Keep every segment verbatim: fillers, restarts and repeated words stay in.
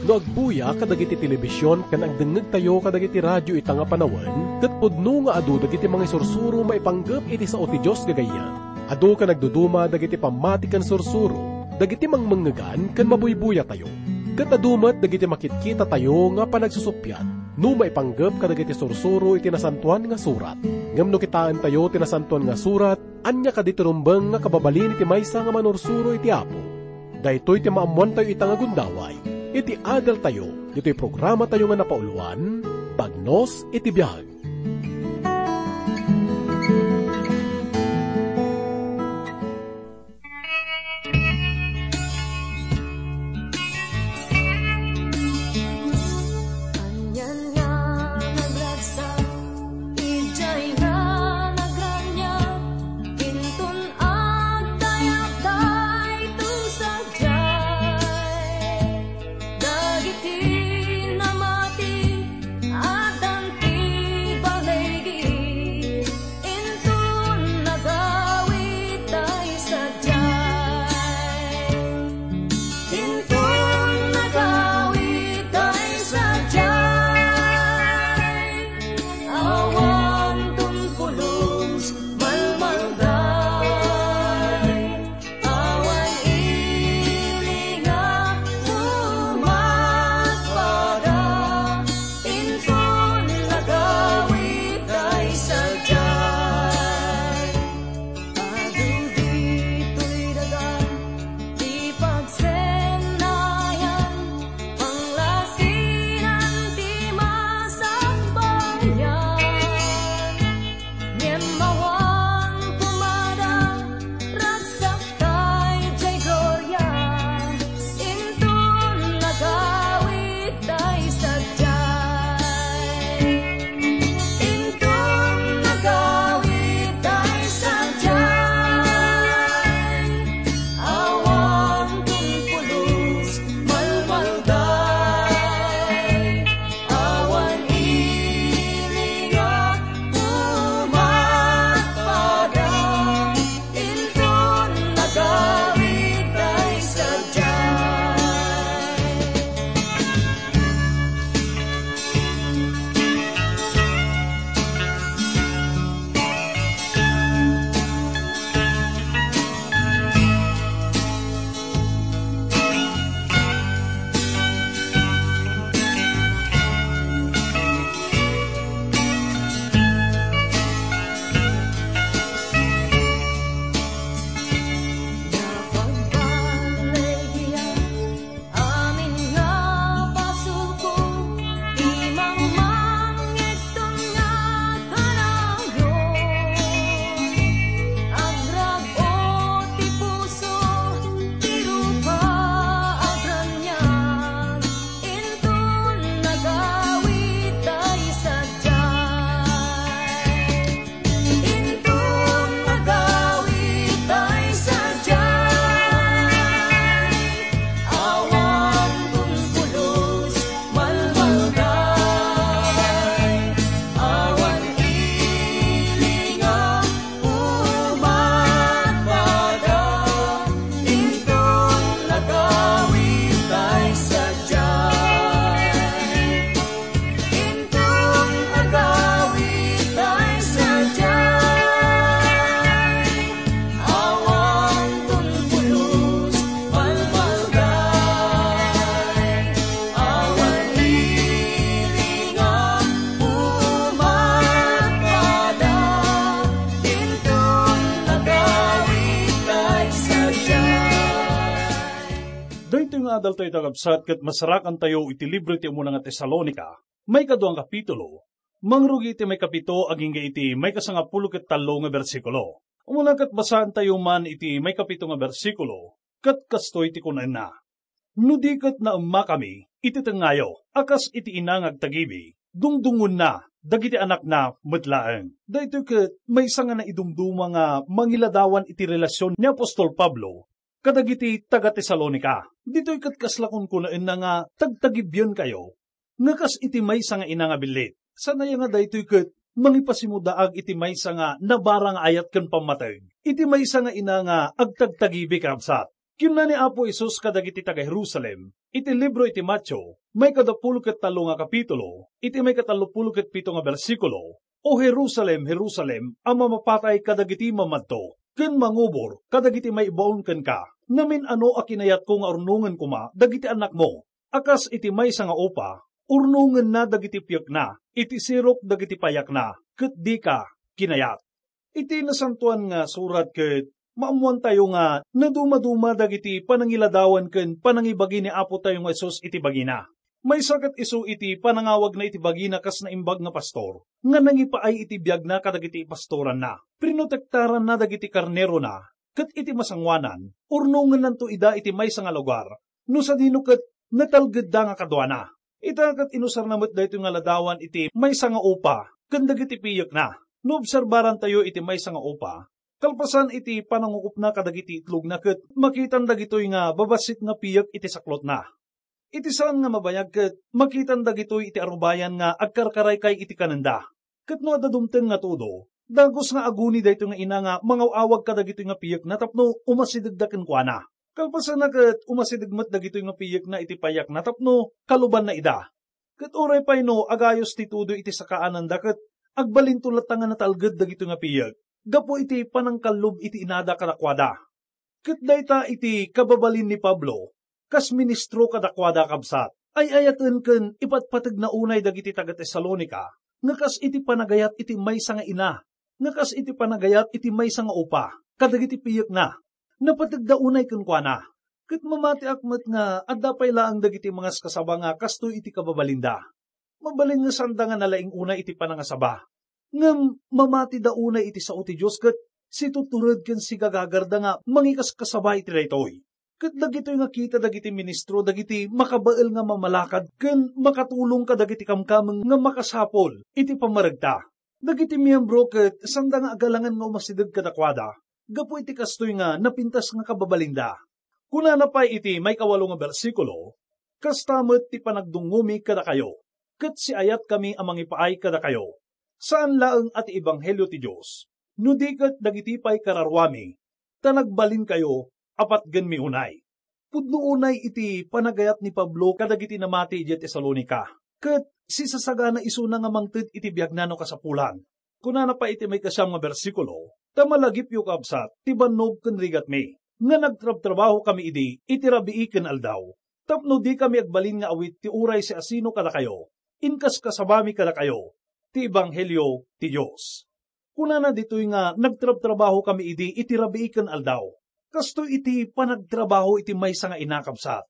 No agbuya kadagiti telebision ken agdengngegtayo kadagiti radio ita nga panawen, ket pudno nga adu dagiti mangisursuro maipanggep iti sao ti Dios gagayyem. Adu ken agduduma dagiti pammati ken sursuro dagiti mangmengngegan ken mabuybuyatayo. Ket adu met dagiti makitkitatayo nga panagsusuppiat no maipanggep kadagiti sursuro iti Nasantoan nga Surat. Ngem no kitaentayo ti Nasantoan nga Surat, ania kadi ti rumbeng nga kababalin iti maysa nga manursuro iti Apo? Daytoy ti maammoantayo ita nga gundaway iti adaltayo, ditoy programatayo nga napauluan, Bagnos iti Biag. Anian nga nagragsak idiay nga nagraniag, inton agdayag daytoy sadiay. Dagiti namati, addan ti baligi, inton nagawid tay sadiay. Inton nagawid tay sadiay, awan ton pulos, malmalday. Awan ili nga umatpada, inton nagawid tay sadiay. Adu ditoy daga ti pagsennayan, panglasinan ti masakbayan. Ngem awan pumada, ragsak tay diay gloria, inton nagawid tay sadiay. Inton nagawid tay sadiay, awan ton pulos, malmalday. Awan ili nga umatpada, inton nagawid tay sadiay. Amin nga basolko, imangmang ngegton nga kanayon. Agrag-o ti puso, ti rupa agraniag, inton nagawid tay sadiay. Inton nagawid tay sadiay, awan ton pulos, malmalday. Awan ili nga umatpada, inton nagawid tay sadiay. Inton nagawid tay sadiay, awan ton pulos, malmalday. Awan ili nga umatpada, inton nagawid tay sadiay. Daytoy nga adaltayo, kakabsat, ket masarakantayo iti libro ti umuna nga Tesalonica, maikadua nga kapitulo, mangrugi iti maikapito agingga iti maikasangapulo ket tallo nga bersikulo. Umuna ket basaantayo man iti maikapito nga bersikulo, ket kastoy ti kunaenna, "No di ket naemmakami iti tengngayo a kas iti ina nga agtagibi, dungdungonna dagiti anakna met laeng." Daytoy ket maysa nga naidumduma nga mangiladawan iti relasion ni apostol Pablo kadagiti taga-Tesalonica. Ditoy ket kasla kunkunaenna nga tagtagibienkayo nga kas iti maysa nga ina nga billit. Saan aya nga daytoy ket mangipasimudaag iti maysa nga nabara nga ayat ken pammateg, iti maysa nga ina nga agtagtagibi, kakabsat? Kinuna ni Apo Jesus kadagiti taga-Jerusalem, Iti libro iti Mateo, maikadapulo ket tallo nga kapitulo, iti maikatallopulo ket pito nga bersikulo, "O Jerusalem, Jerusalem, a mamapatay kadagiti mamadto ken mangubor kadagiti maibaon kenka, namin-ano a kinayatko nga urnongen koma dagiti annakmo, a kas iti maysa nga upa, urnongenna dagiti piekna, iti sirok dagiti payakna, ket dika kinayat." Iti Nasantoan nga Surat ket maammoantayo nga nadumaduma dagiti panangiladawan ken panangibagi ni Apo tayo nga Jesus iti bagina. Maysa ket isu iti panangawagna iti bagina kas naimbag nga pastor, nga nangipaay iti biagna kadagiti ipastoranna. Prinotektaranna dagiti karnerona, ket iti masangoanan, urnongennanto ida iti maysa nga lugar, no sadino ket natalgedda nga kaduana. Ita ket inusarna met daytoy nga ladawan iti maysa nga upa ken dagiti piyekna. No obserbarantayo iti maysa nga upa, kalpasan iti panangukopna kadagiti itlogna ket makitan dagitoy nga babassit nga piyek iti saklotna. Iti saan nga mabayag ket makitan dagitoy iti arubayan nga agkarkaraykay iti kanenda. Ket no adda dumteng nga tudo, dagus nga aguni daytoy nga ina nga mangaw-awag kadagitoy nga piyekna tapno umasidegda kenkuana. Kalpasanna ket umasideg met dagitoy nga piyekna iti payakna tapno kalubanna ida. Ket uray pay no agayos ti tudo iti sakaananda ket agbalinto latta nga natalged dagitoy nga piyek gapu iti panangkallub iti inada kadakuada. Ket dayta iti kababalin ni Pablo, kas ministro kadakuada, kabsat. Ay-ayaten ken ipatpategna unay dagiti taga-Tesalonica nga kas iti panagayat iti maysa nga ina, nga kas iti panagayat iti maysa nga upa kadagiti piyekna. Napategda unay kenkuana, ket mamatiak met nga adda pay laeng dagiti mangaskasaba nga kastoy iti kababalinda. Mabalin nga saanda nga nalaing unay iti panangasaba. Ngem mamatida unay iti sao ti Dios ket situtured ken sigagagarda nga mangikaskasaba iti daytoy. Ket dagitoy nga kita dagiti ministro dagiti makabael nga mamalakad ken makatulong kadagiti kamkameng nga makasapul iti pammaregta. Dagiti miembro ket saanda nga agalangan nga umasideg kadakuada gapu iti kastoy nga napintas nga kababalinda. Kunana pay iti maikawalo nga bersikulo, "Kasta met ti panagdungngomi kadakayo, ket siayatkami a mangipaay kadakayo, saan laeng a ti ebanghelio ti Dios, no di ket dagiti pay kararuami, ta nagbalinkayo a patgenmi unay." Pudno unay iti panagayat ni Pablo kadagiti namati idiay Tesalonica, ket sisasagana isuna nga mangted iti biagna no kasapulan. Kunana pay iti maikasiam nga bersikulo, "Ta malagipyo, kabsat, ti bannog ken rigatmi, nga nagtrabtrabahokami idi iti rabii ken aldaw, tapno dikami agbalin nga awit ti uray siasino kadakayo, inkaskasabami kadakayo ti ebanghelio ti Dios." Kunana ditoy nga nagtrabtrabahokami idi iti rabii ken aldaw. Kastoy iti panagtrabaho iti maysa nga ina, kabsat.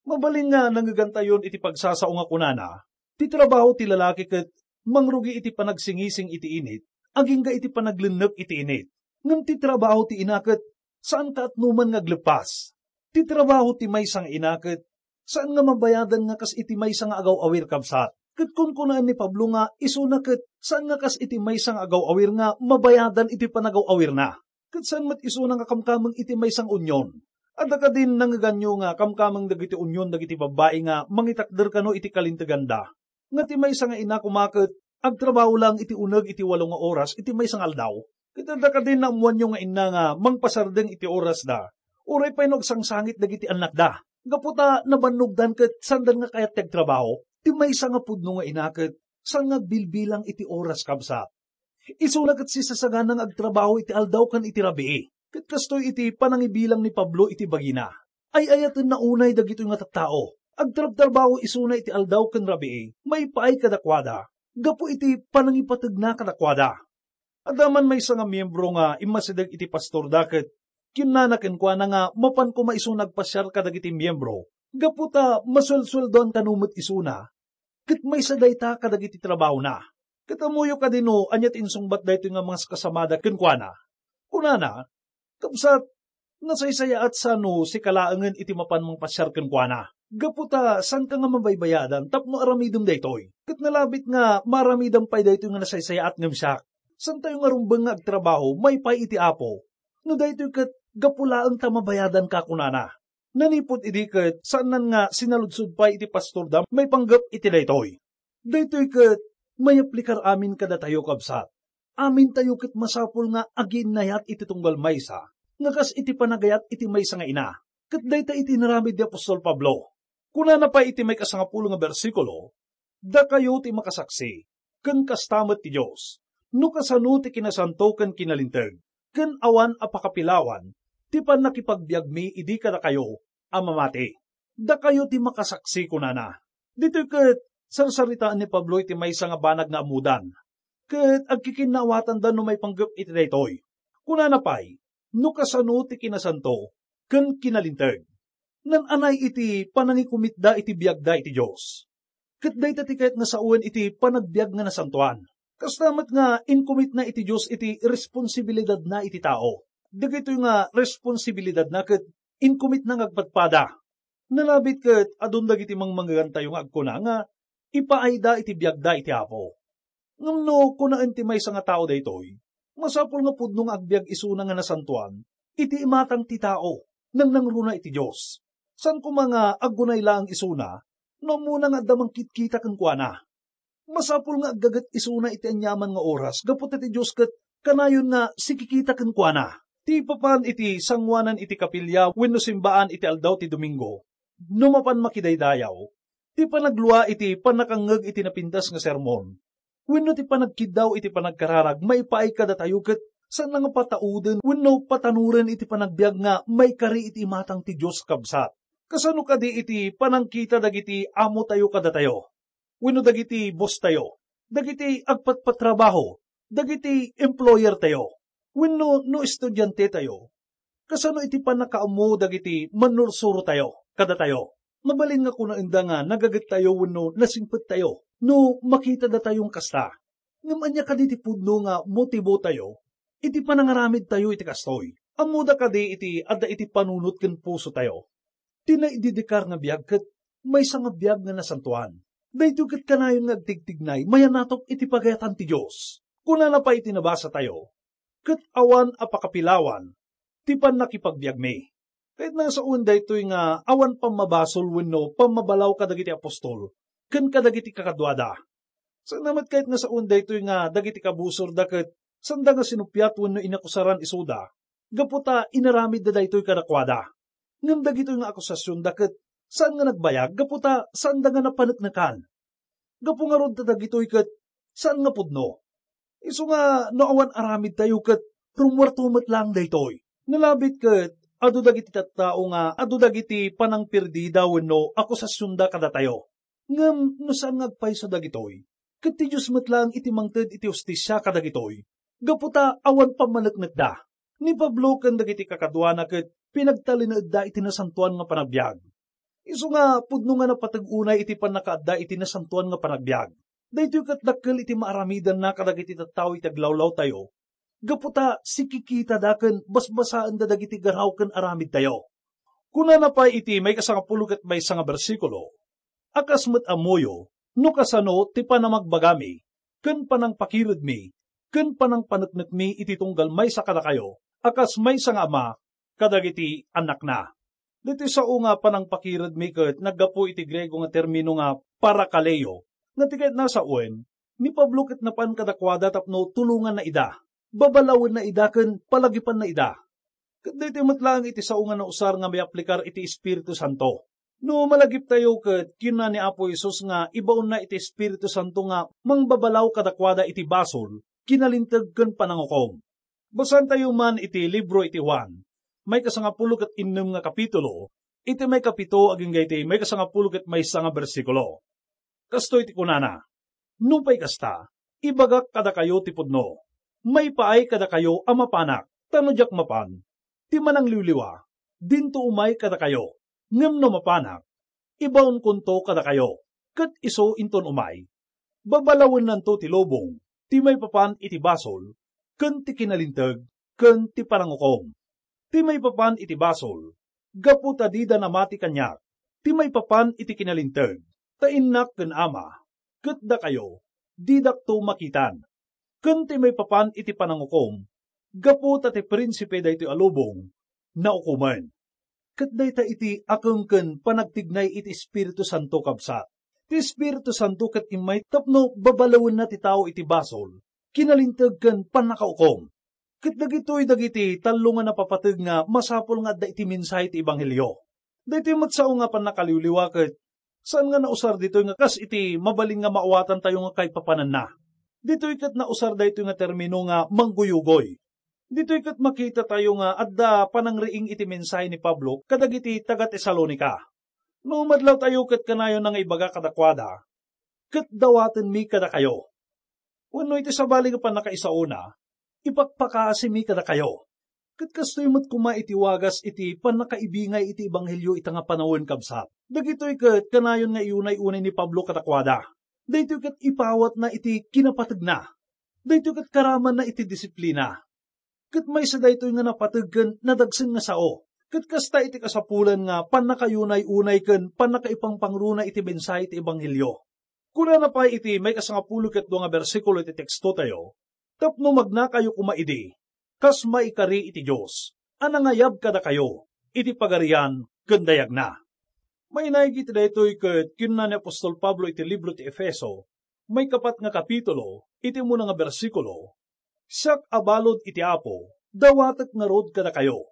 Mabalin nga nangegantayon iti pagsasao nga kunana, ti trabaho ti lalaki ket mangrugi iti panagsingising iti init, agingga iti panaglennek iti init. Ngem ti trabaho ti ina ket saan kaatnoman nga agleppas. Ti trabaho ti maysa nga ina ket saan nga mabayadan nga kas iti maysa nga agaw-awir, kabsat. Ket kunkunaan ni Pablo nga isuna ket saan nga kas iti maysa nga agaw-awir nga mabayadan iti panagaw-awirna. Ket saan met isuna nga kamkameng iti maysa nga unyon. Adda kadin nangeganyo nga kamkameng dagiti unyon dagiti babbai nga mangitakder kano iti kalinteganda? Nga ti maysa nga ina koma ket agtrabaho lang iti uneg iti walo nga oras iti maysa nga aldaw? Ket adda kadin naammoanyo nga inna nga mangpasardeng iti orasda, uray pay no agsangsangit dagiti annakda, gapu ta nabannogdan ket saandan nga kayat ti agtrabaho? Ti maysa nga pudno nga ina ket saan nga agbilbilang iti oras, kabsat. Isuna ket sisasagana nga agtrabaho iti aldaw ken iti rabii. Ket kastoy iti panangibilang ni Pablo iti bagina, ay-ayatenna unay dagitoy nga tattao. Agtrabtrabaho isuna iti aldaw ken rabii, maipaay kadakuada, gapu iti panangipategna kadakuada. Adda man maysa nga miembro nga immasideg iti pastorda ket kinnana kenkuana nga mapan koma isuna agpasiar kadagiti miembro, gapu ta masuelsueldoan kano met isuna, ket maysa dayta kadagiti trabahona. Ket ammoyo kadi no ania ti insungbat daytoy nga mangaskasabada kenkuana? Kunana, "Kabsat, nasaysayaat sa no sika laengen iti mapan mangpasiar kenkuana, gapu ta saanka nga mabaybayadan tapno aramidem daytoy. Ket nalabit nga maaramidam pay daytoy nga nasaysayaat ngem siak. Saantayo nga rumbeng nga agtrabaho maipaay iti Apo. No daytoy ket gapu laeng ta mabayadanka," kunana. Nanipud idi ket saannan nga sinaludsod pay iti pastorda maipanggep iti daytoy. Daytoy ket mayaplikar amin kadatayo, kabsat. Amintayo ket masapul nga agiinnayat iti tunggal maysa nga kas iti panagayat iti maysa nga ina. Ket dayta iti inaramid ni apostol Pablo. Kunana pay iti maikasangapulo nga bersikulo, "Dakayo ti makasaksi, ken kasta met ti Dios, no kasano ti kinasanto ken kinalinteg, ken awan a pakapilawan ti pannakipagbiagmi idi kadakayo a mamati. Dakayo ti makasaksi," kunana. Ditoy ket sarsaritaen ni Pablo iti maysa nga banag nga ammodan, ket agkikinnaawatanda no maipanggep iti daytoy. Kunana pay, "No kasano ti kinasanto ken kinalinteg." Naan-anay iti panangikumitda iti biagda iti Dios. Ket dayta ti kayat nga sawen iti panagbiag nga nasantoan. Kasta met nga inkumitna iti Dios iti responsibilidadna iti tao. Dagitoy nga responsibilidadna ket inkumitna nga agpadpada. Nalabit ket adun dagiti mangmangegantayo nga agkuna nga ipaayda iti biagda iti Apo. Ngem no kunaen ti maysa nga tao daytoy, masapul nga pudno nga agbiag isuna nga nasantoan iti imatang ti tao, nangnangruna iti Dios. Saan koma nga aggunay laeng isuna no ammona nga adda mangkitkita kenkuana. Masapul nga aggaget isuna iti aniaman nga oras gapu ta ti Dios ket kanayon nga sikikita kenkuana. Ti papan iti sangoanan iti kapilya wenno simbaan iti aldaw ti Domingo, no mapan makidaydayaw, ti panaglua iti pannakangngeg iti napintas nga sermon, wenno ti panagkiddaw iti panagkararag maipaay kadatayo ket saan nga patauden wenno patanoren iti panagbiag nga maikari iti imatang ti Dios, kabsat. Kasano kadi iti panangkita dagiti amotayo kadatayo, wenno dagiti bosstayo, dagiti agpatpatrabaho, dagiti employertayo, wenno no estudiantetayo? Kasano iti pannakaammo dagiti mannursurotayo kadatayo? Mabalin nga kunaenda nga nagagettayo wenno nasingpettayo no makitadatayon kasta. Ngem ania kadi ti pudno nga motibotayo iti panangaramidtayo iti kastoy? Ammoda kadi iti adda iti panunot ken pusotayo? Ti naididikar nga biag ket maysa nga biag nga nasantoan. Daytoy ket kanayon nga agtigtignay mayanatok iti pagayatan ti Dios. Kunana pay iti nabasatayo, "Ket awan a pakapilawan ti pannakipagbiagmi." Kayatna nga sawen daytoy nga awan pammabasol wenno pammabalaw kadagiti apostol ken kadagiti kakaduada. Saan met kayat nga sawen daytoy nga dagiti kabusorda ket saanda nga sinuppiat wenno inakusaran isuda gapu ta inaramidda daytoy kadakuada. Ngem dagitoy nga akusasionda ket saan nga nagbayag gapu ta saanda nga napaneknekan. Gapu ngarud ta dagitoy ket saan nga pudno. Isu nga no awan aramidtayo ket rummuarto met laeng daytoy. Nalabit ket adu dagiti tattao nga adu dagiti panangperdida wenno akusasionda kadatayo. Ngem no saan nga agpayso dagitoy, ket ti Dios met laeng iti mangted iti hustisia kadagitoy, gapu ta awan pammaneknekda. Ni Pablo ken dagiti kakaduana ket pinagtalinaedda iti nasantoan nga panagbiag. Isu nga pudno nga napateg unay iti pannakaadda iti nasantoan nga panagbiag. Daytoy ket dakkel iti maaramidanna kadagiti tattao iti aglawlawtayo, gapu ta sikikitada ken basbasaenda dagiti garaw ken aramidtayo. Kunana pay iti maikasangapulo ket maysa nga bersikulo, "A kas met ammoyo no kasano ti panamagbagami ken panangpakiredmi ken panangpaneknekmi iti tunggal maysa kadakayo a kas maysa nga ama kadagiti annakna." Ditoy sao nga panangpakiredmi ket naggapu iti Griego nga termino nga parakaleo, nga ti kayatna a sawen, ni Pablo ket napan kadakuada tapno tulonganna ida, babalawenna ida ken palagipanna ida. Ket daytoy met laeng iti sao nga nausar nga maiaplikar iti Espiritu Santo. No malagiptayo ket kinuna ni Apo Jesus nga ibaonna iti Espiritu Santo nga mangbabalaw kadakuada iti basol, kinalinteg ken panangukom. Basaentayo man iti libro iti Juan, maikasangapulo ket innem nga kapitulo, iti maikapito agingga iti maikasangapulo ket maysa nga bersikulo. Kastoy ti kunana, "Nupay kasta, ibagak kadakayo ti pudno. Maipaay kadakayo a mapanak, ta no diak mapan, ti manangliwliwa, dinto umay kadakayo. Ngem no mapanak, ibaonkonto kadakayo, ket isu inton umay, babalawennanto ti lubong, ti maipapan iti basol, ken ti kinalinteg, ken ti panangukom. Ti maipapan iti basol, gapu ta dida namati kaniak, ti maipapan iti kinalinteg, ta innak ken ama, ket dakayo, didakto makitan. Ken ti maipapan iti panangukom, gapu ta ti prinsipe daytoy a lubong, naukomen." Ket dayta iti akeng ken panagtignay iti Espiritu Santo, kabsat. Ti Espiritu Santo ket immay tapno babalawenna ti tao iti basol, kinalinteg ken pannakaukom. Ket dagitoy dagiti tallo nga napapateg nga masapul nga adda iti mensahe ti ebanghelio. Daytoy met sao nga pannakaliwliwa ket Saan nga nausar ditoy nga kas iti mabalin nga maawatantayo nga kaipapananna. Ditoy ket nausar daytoy nga termino nga mangguyugoy. Ditoy ket makitatayo nga adda panangriing iti mensahe ni Pablo kadagiti taga-Tesalonica. No madlawtayo ket kanayonna nga ibaga kadakuada, "Ket dawatenmi kadakayo." Wenno iti sabali nga pannakaisaona, "Ipakpakasimi kadakayo." Ket kastoy met koma iti wagas iti pannakaibingay iti ebanghelio ita nga panawen, kabsat. Dagitoy ket kanayon nga iunay-unay ni Pablo kadakuada. Daytoy ket ipawatna iti kinapategna. Daytoy ket karamanna iti disiplina. Ket maysa daytoy nga napateg ken nadagsen nga sao. Ket kasta iti kasapulan nga pannakayunay-unay ken pannakaipangpangruna iti mensahe iti ebanghelio. Kunana pay iti maikasangapulo ket dua nga bersikulo iti tekstotayo, "Tapno magnakayo koma idi, kas maikari iti Dios, a nangayab kadakayo iti pagarian ken dayagna." Mainaig iti daytoy ket kinuna ni apostol Pablo iti libro ti Efeso, maikapat nga kapitulo, iti umuna nga bersikulo, "Siak a balud iti Apo, dawatek ngarud kadakayo,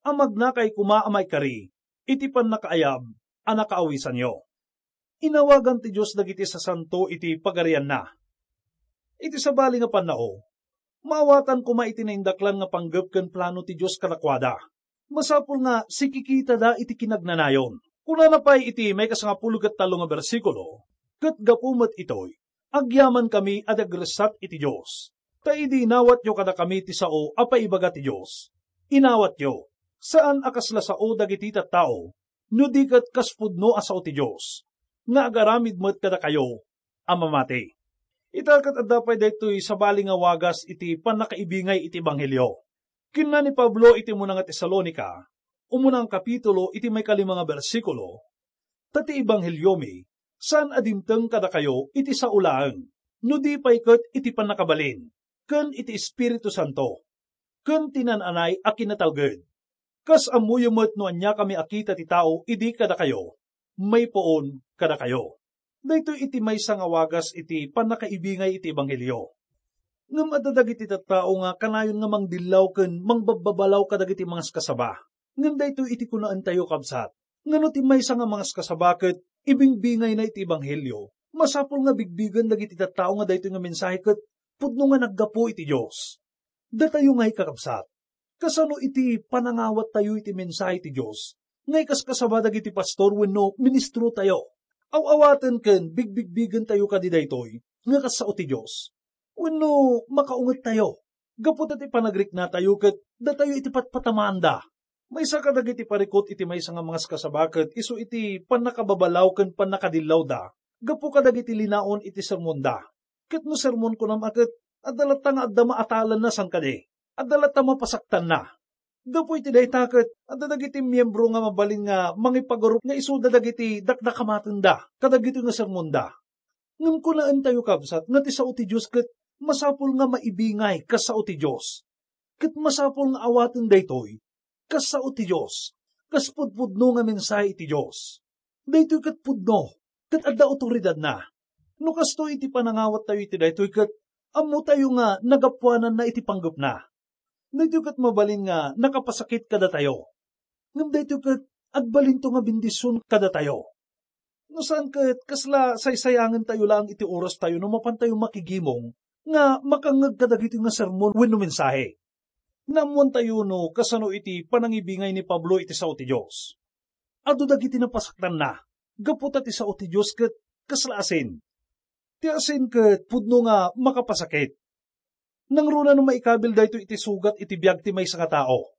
a magnakay koma a maikari iti pannakaayab a nakaawisanyo." Inawagan ti Dios dagiti sasanto iti pagarianna. Iti sabali nga pannao, maawatan koma iti naindaklan nga panggep ken plano ti Dios kadakuada. Masapul nga sikikitada iti kinagnanayon. Kunana pay iti maikasangapulo ket tallo nga bersikulo, "Ket gapu met itoy, agyamankami a dagressat iti Dios, ta idi inawatyo kadakami ti sao a paibaga ti Dios, inawatyo, saan a kasla sao dagiti tattao, no di ket kas pudno a sao ti Dios, nga agaramid met kadakayo a mamati." Ita ket adda pay daytoy sabali nga wagas iti pannakaibingay iti ebanghelio. Kinuna ni Pablo iti umuna nga Tesalonica, umuna nga kapitulo, iti maikalima nga bersikulo, "Ta ti ebangheliomi, saan a dimteng kadakayo iti sao laeng, no di pay ket iti pannakabalin, ken iti Espiritu Santo, ken ti naan-anay a kinatalged. Kas ammoyo met no aniakami a kita ti tao idi kadakayo, maipuon kadakayo." Daytoy iti maysa nga wagas iti pannakaibingay iti ebanghelio. Ngem adda dagiti tattao nga kanayon nga mangdillaw ken mangbabbabalaw kadagiti mangaskasaba. Ngem daytoy iti kunaentayo, kabsat, nga no ti maysa nga mangaskasaba ket ibingbingayna iti ebanghelio, masapul nga bigbigen dagiti tattao nga daytoy nga mensahe ket pudno nga naggapu iti Dios. Datayo ngay, kakabsat, kasano iti panangawattayo iti mensahe ti Dios nga ikaskasaba dagiti pastor wenno ministrotayo? Aw-awaten ken bigbigbigentayo kadi daytoy nga kas sao ti Dios? Wenno makaungettayo gapu ta ti panagriknatayo ket datayo iti patpatamaanda? Maysa kadagiti parikut iti maysa nga mangaskasaba ket isu iti pannakababalaw ken pannakadillawda gapu kadagiti linaon iti sermonda. Ket no sermon, kunam a ket, adda latta nga adda maatalanna, saan kadi? Adda latta mapasaktanna. Gapu iti dayta ket, adda dagiti miyembro nga mabalin nga mangipagarup nga isuda dagiti dakdakamatenda kadagitoy nga sermonda. Ngem kunaentayo, kabsat, nga ti sao ti Dios ket masapul nga maibingay kas sao ti Dios. Ket masapul nga awaten daytoy kas sao ti Dios, kas pudpudno nga mensahe iti Dios. Daytoy ket pudno, ket adda awtoridadna. No kastoy iti panangawattayo iti daytoy ket ammotayo nga nagapuananna iti panggepna. Daytoy ket mabalin nga nakapasakit kadatayo. Ngem daytoy ket agbalinto nga bendision kadatayo. No saan ket, kasla saysayangentayo laeng iti orastayo no mapantayo makigimong nga makangngeg kadagitoy nga sermon wenno mensahe. Naammoantayo no kasano iti panangibingay ni Pablo iti sao ti Dios. Adu dagiti napasaktanna gapu ta ti sao ti Dios ket kasla asin. Ti asin ket pudno nga makapasakit. Nangruna no maikabil daytoy iti sugat iti biag ti maysa nga tao.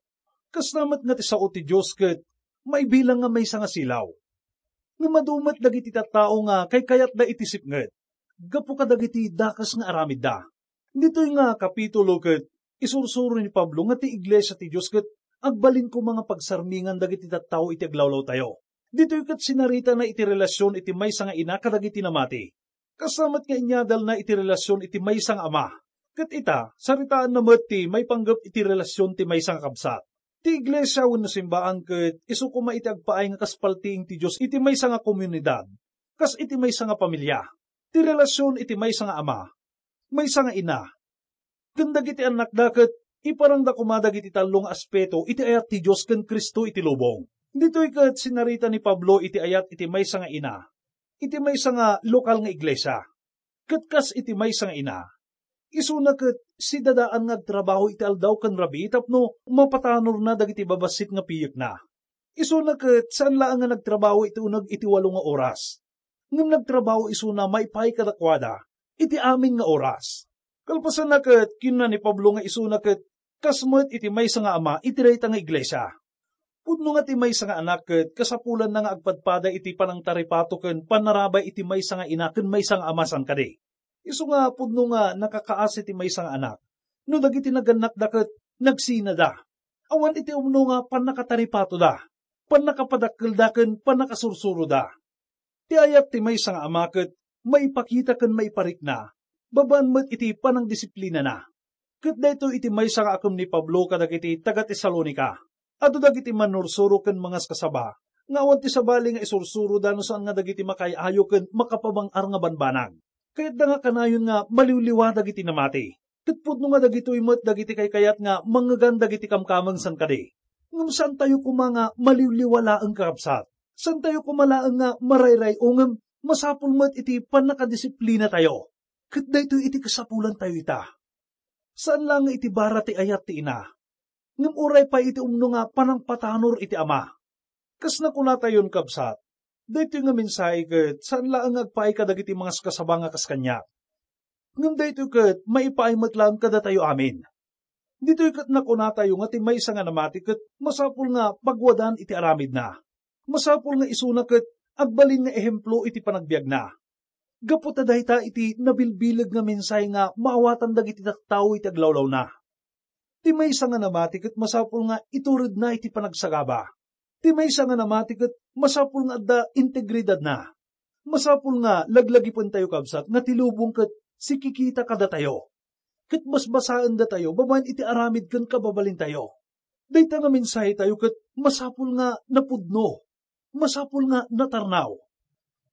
Kasta met nga ti sao ti Dios ket maibilang nga maysa nga silaw. Ngem adu met dagiti tattao nga kaykayatda iti sipnget gapu kadagiti dakes nga aramidda. Ditoy nga kapitulo ket isursuro ni Pablo nga ti iglesia ti Dios ket agbalin koma nga pagsarmingan dagiti tattao iti aglawlawtayo. Ditoy ket sinaritana iti relasion iti maysa nga ina kadagiti namati. Kasta met nga inyadalna iti relasion iti maysa nga ama. Ket ita, saritaanna met ti maipanggep iti relasion ti maysa nga kabsat. Ti iglesia wenno simbaan ket isu koma iti agpaay nga kas paltiing ti Dios iti maysa nga komunidad, kas iti maysa nga pamilia. Ti relasion iti maysa nga ama, maysa nga ina, ken dagiti annakda ket iparangda koma dagiti tallo nga aspeto iti ayat ti Dios ken Cristo iti lubong. Ditoy ket sinarita ni Pablo iti ayat iti maysa nga ina. iti maysa nga lokal nga iglesia. Ket kas iti maysa nga ina, isuna ket sidadaan nga agtrabaho iti aldaw ken rabii tapno mapatanorna dagiti babassit nga piyekna. Isuna ket saan laeng nga nagtrabaho iti uneg iti walo nga oras, ngem nagtrabaho isuna maipaay kadakuada iti amin nga oras. Kalpasanna ket kinuna ni Pablo nga isuna ket kas met iti maysa nga ama iti dayta nga iglesia. Pudno nga ti maysa nga anak ket kasapulanna nga agpadpada iti panangtaripato ken pannarabay iti maysa nga ina ken maysa nga ama, saan kadi? Isu nga pudno nga nakakaasi ti maysa nga anak no dagiti nagannakda ket nagsinada. Awan iti umno nga pannakataripatoda, pannakapadakkelda ken pannakasursuroda. Ti ayat ti maysa nga ama ket maipakita ken maiparikna babaen met iti panangdisiplinana. Ket daytoy iti maysa nga akem ni Pablo kadagiti taga-Tesalonica. Adu dagiti mannursuro ken mangaskasaba nga awan ti sabali nga isursuroda no saan nga dagiti makaay-ayo ken makapabang-ar nga banbanag. Kayatda nga kanayon nga maliwliwa dagiti namati. Ket pudno nga dagitoy met dagiti kaykayat nga mangngegan dagiti kamkameng, saan kadi? Ngem saantayo koma nga maliwliwa laeng, kakabsat. Saantayo koma laeng nga marayray-o ngem masapul met iti pannakadisiplinatayo. Ket daytoy iti kasapulantayo ita. Saan laeng nga iti bara ti ayat ti ina, ngem uray pay iti umno nga panangpatanor iti ama. Kas nakunatayon, kabsat, daytoy nga mensahe ket saan laeng nga agpaay kadagiti mangaskasaba nga kas kaniak, ngem daytoy ket maipaay met laeng kadatayo amin. Ditoy ket nakunatayo nga ti maysa nga namati ket masapul nga pagwadan iti aramidna. Masapul nga isuna ket agbalin nga ehemplo iti panagbiagna. Gapu ta dayta iti nabilbileg nga mensahe nga maawatan dagiti tattao iti aglawlawna. Ti maysa nga namati ket masapul nga ituredna iti panagsagaba. Ti maysa nga namati ket masapul nga adda integridadna. Masapul nga laglagipentayo, kabsat, nga ti lubong ket sikikita kadatayo, ket basbasaendatayo babaen iti aramid ken kababalintayo. Dayta nga mensahetayo ket masapul nga napudno, masapul nga natarnaw.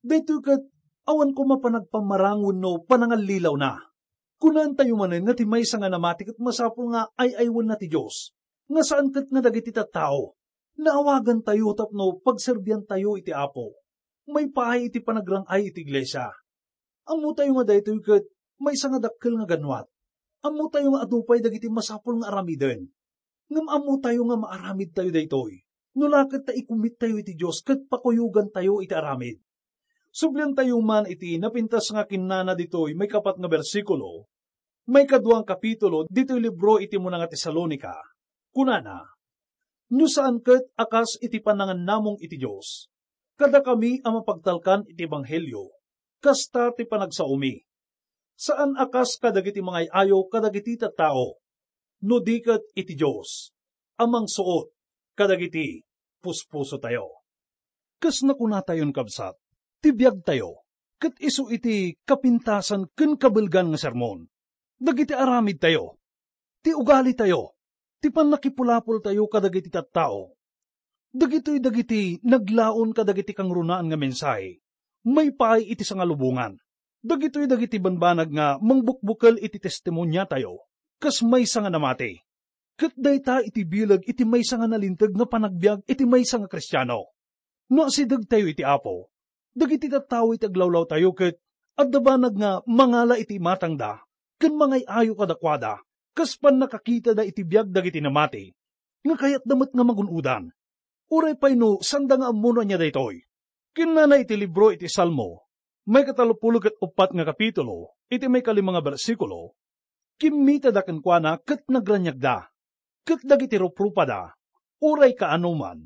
Daytoy ket awan koma panagpammarang wenno panangallilawna. Kunaentayo manen nga ti maysa nga namati ket masapul nga ay-aywanna ti Dios, nga saan ket nga dagiti tattao. Naawagantayo tapno pagserbiantayo iti Apo. Maipaay iti panagrang-ay iti iglesia. Ammotayo nga daytoy ket maysa nga dakkel nga ganwat. Ammotayo nga adu pay dagiti masapul nga aramiden. Ngem ammotayo nga maaramidtayo daytoy no la ket ta ikumittayo iti Dios ket pakuyogantayo iti aramid. Subliantayo man iti napintas nga kinnana ditoy maikapat nga bersikulo, maikadua nga kapitulo ditoy libro iti Una nga Tesalonica. Kunana, "No saan ket a kas iti panangannamong iti Dios, kadakami a mapagtalkan iti ebanghelio, kasta ti panagsaomi. Saan a kas kadagiti mangay-ayo kadagiti tattao, no di ket iti Dios a mangsuot kadagiti puspusotayo." Kas nakunatayon, kabsat, ti biagtayo ket isu iti kapintasan ken kabelgan nga sermon. Dagiti aramidtayo, ti ugalitayo, ti pannakipulapoltayo kadagiti tattao, dagitoy dagiti naglaon kadagiti kangrunaan nga mensahe maipaay iti sangalubongan. Dagitoy dagiti banbanag nga mangbukbukel iti testimoniatayo kas maysa nga namati. Ket dayta iti bileg iti maysa nga nalinteg nga panagbiag iti maysa nga Kristiano. No asidegtayo iti Apo, dagiti tattao iti aglawlawtayo ket adda banag nga mangala iti imatangda ken mangay-ayo kadakuada kas pannakakitada iti biag dagiti namati nga kayatda met nga magun-odan. Uray pay no sanda nga ammo no ania daytoy. Kinnana iti libro iti Salmo, maikatalopulo ket uppat nga kapitulo, iti maikalima nga bersikulo, "Kimmitada kenkuana ket nagraniagda, ket dagiti ruprupada, uray kaanoman,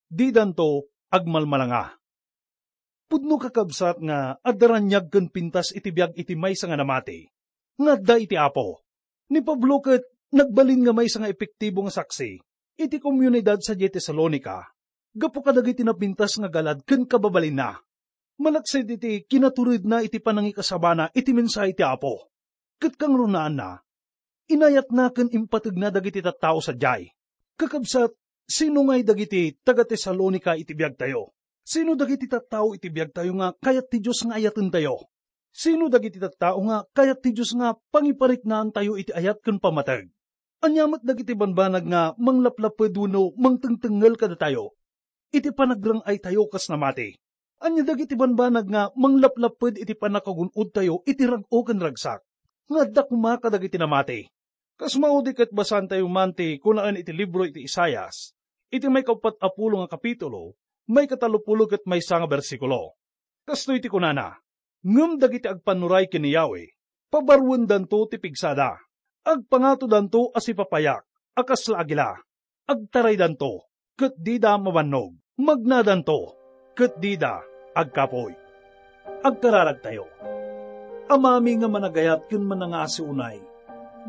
didanto agmalmalanga." Pudno, kakabsat, nga adda raniag ken pintas iti biag iti maysa nga namati nga adda iti Apo. Ni Pablo ket nagbalin nga maysa nga epektibo nga saksi iti komunidad sadiay Tesalonica gapu kadagiti napintas nga galad ken kababalinna. Malaksid iti kinaturedna iti panangikasabana iti mensahe ti Apo ket kangrunaanna, inayatna ken impategna dagiti tattao sadiay. Kakabsat, sino ngay dagiti taga-Tesalonica iti biagtayo? Sino dagiti tattao iti biagtayo nga kayat ti Dios nga ayatentayo? Sino dagiti tattao nga kayat ti Dios nga pangipariknaantayo iti ayat ken pammateg? Ania met dagiti banbanag nga manglaplaped wenno mangtengtengngel kadatayo iti panagrang-aytayo kas namati? Ania dagiti banbanag nga manglaplapped iti pannakagun-odtayo iti rag-o ken ragsak, nga adda koma kadagiti namati? Kas maudi ket basaentayo man ti kunaen iti libro iti Isaias, iti maikauppat a pulo nga kapitulo, maikatalopulo ket maysa nga bersikulo. Kastoy ti kunana, "Ngem dagiti agpannuray ken ni Yahweh, pabaruendanto ti pigsada. Agpangatodanto a sipapayak a kasla agila. Agtaraydanto, ket dida mabannog. Magnadanto, ket dida agkapuy." Agkararagtayo. Amami nga managayat ken manangasi unay,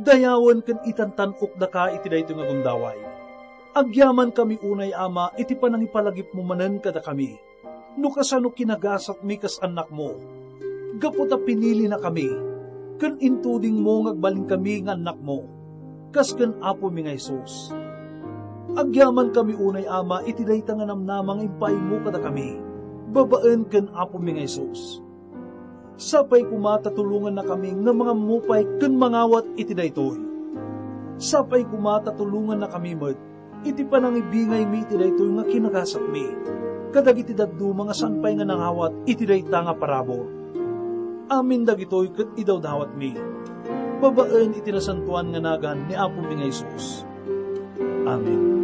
dayawen ken itantan-ok daka iti daytoy nga gundaway. Agyamankami unay, Ama, iti panangipalagipmo manen kadakami, no kasano kinagasatmi kas annakmo. Gapu ta pinilinakami, ken intudingmo nga agbalinkami nga annakmo, kas ken Apomi nga Jesus. Agyamankami unay, Ama, iti dayta nga namnama nga impaaymo kadakami, babaen ken Apomi nga Jesus. Sapay koma ta tulongannakami nga mangammo pay ken mangawat iti daytoy. Sapay koma ta tulongannakami met iti panangibingaymi iti daytoy nga kinagasatmi kadagiti dadduma nga saan pay nga nangawat iti dayta nga parabur. Amin dagitoy ket idawdawatmi babaen iti nasantoan nga nagan ni Apomi nga Jesus. Amen.